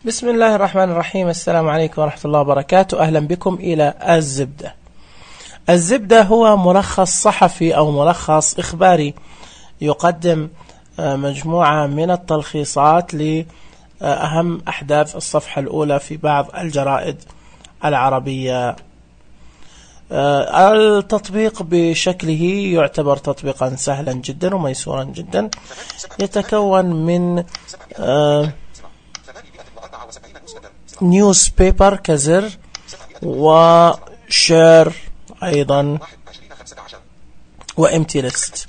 بسم الله الرحمن الرحيم. السلام عليكم ورحمة الله وبركاته. أهلا بكم إلى الزبدة. الزبدة هو ملخص صحفي أو ملخص إخباري يقدم مجموعة من التلخيصات لأهم أحداث الصفحة الأولى في بعض الجرائد العربية. التطبيق بشكله يعتبر تطبيقا سهلا جدا وميسورا جدا، يتكون من نيوز بيبر كزر وشير أيضا وامتي ليست.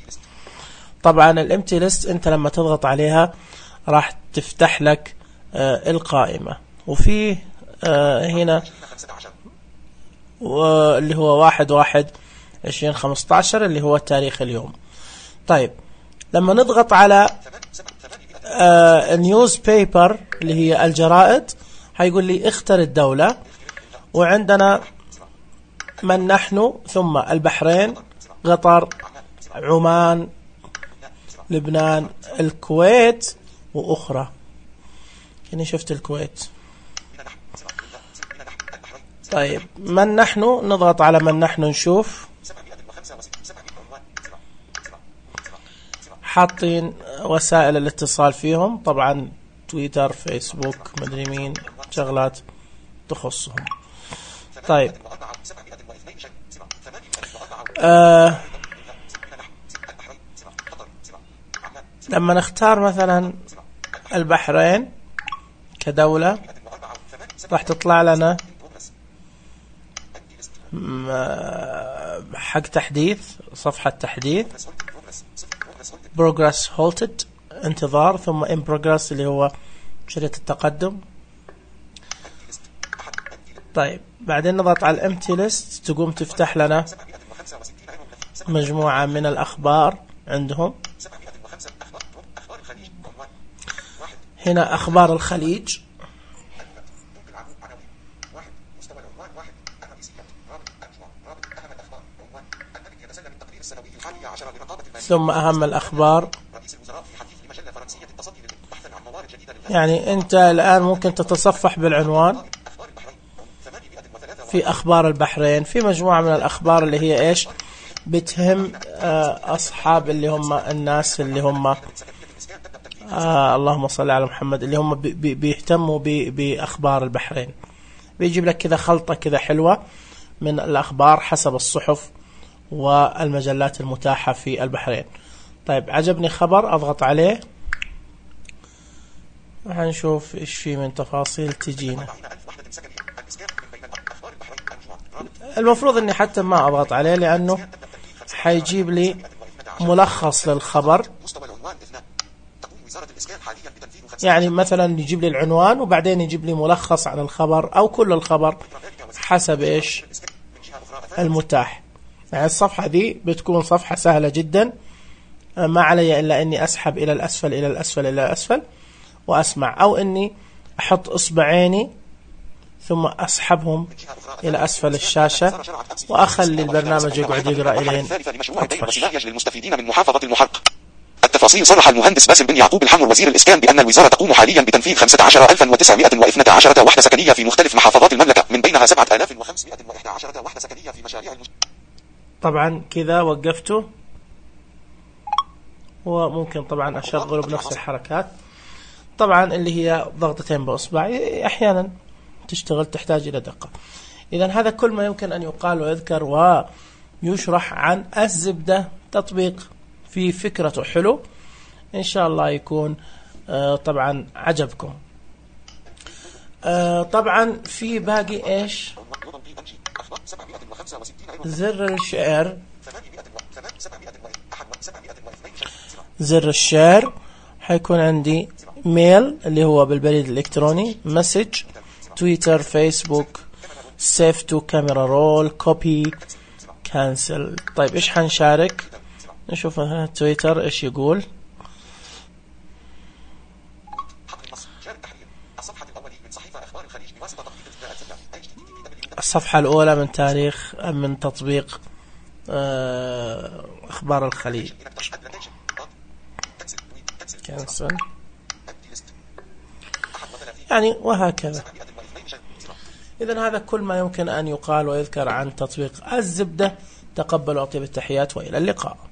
طبعا الامتي ليست انت لما تضغط عليها راح تفتح لك القائمة، وفي هنا اللي هو 1/1/2015 اللي هو تاريخ اليوم. طيب لما نضغط على نيوز بيبر اللي هي الجرائد هيقول لي اختر الدولة، وعندنا من نحن، ثم البحرين، قطر، عمان، لبنان، الكويت وأخرى. يعني شفت الكويت. طيب من نحن، نضغط على من نحن نشوف حاطين وسائل الاتصال فيهم، طبعا تويتر، فيسبوك، مدري مين، شغلات تخصهم. طيب لما نختار مثلا البحرين كدولة راح تطلع لنا حق تحديث، صفحة تحديث، progress halted انتظار، ثم in progress اللي هو شريط التقدم. طيب بعدين نضغط على الامتي ليست، تقوم تفتح لنا مجموعة من الأخبار عندهم. هنا أخبار الخليج، ثم أهم الأخبار. يعني أنت الآن ممكن تتصفح بالعنوان في أخبار البحرين، في مجموعة من الأخبار اللي هي إيش بتهم أصحاب اللي هم الناس اللي هم اللهم صل على محمد، اللي هم بيهتموا بأخبار البحرين. بيجيب لك كذا خلطة كذا حلوة من الأخبار حسب الصحف والمجلات المتاحة في البحرين. طيب عجبني خبر، أضغط عليه، هنشوف إيش في من تفاصيل تجينا. المفروض إني حتى ما أضغط عليه لأنه حيجيب لي ملخص للخبر. يعني مثلا يجيب لي العنوان وبعدين يجيب لي ملخص عن الخبر أو كل الخبر حسب إيش المتاح. يعني الصفحة دي بتكون صفحة سهلة جدا، ما علي إلا أني أسحب إلى الأسفل إلى الأسفل إلى الأسفل وأسمع، أو أني أحط إصبعيني ثم أسحبهم إلى أسفل الشاشة وأخلي البرنامج يقعد يقرأ إلين أطفش. للمستفيدين من محافظة المحق. التفاصيل. صرح المهندس باسل بن يعقوب الحمر وزير الإسكان بأن الوزارة تقوم حاليا بتنفيذ 15,912 وحدة سكنية في مختلف محافظات المملكة، من بينها 7,511 وحدة سكنية في مشاريع طبعا كذا وقفته، وممكن طبعا أشغله بنفس الحركات. طبعا اللي هي ضغطتين بأصبعي أحيانا تشتغل، تحتاج إلى دقة. إذا هذا كل ما يمكن أن يقال ويذكر ويشرح عن الزبدة. تطبيق في فكرته حلو، إن شاء الله يكون طبعا عجبكم. طبعا في باقي إيش، زر الشير. زر الشير حيكون عندي ميل اللي هو بالبريد الإلكتروني، مسج، تويتر، فيسبوك، سيف تو كاميرا رول، كوبي، كانسل. طيب إيش حنشارك؟ نشوف تويتر إيش يقول. الصفحة الأولى من تاريخ من تطبيق أخبار الخليج. كانسل. يعني وهكذا. إذن هذا كل ما يمكن أن يقال ويذكر عن تطبيق الزبدة. تقبلوا أطيب التحيات وإلى اللقاء.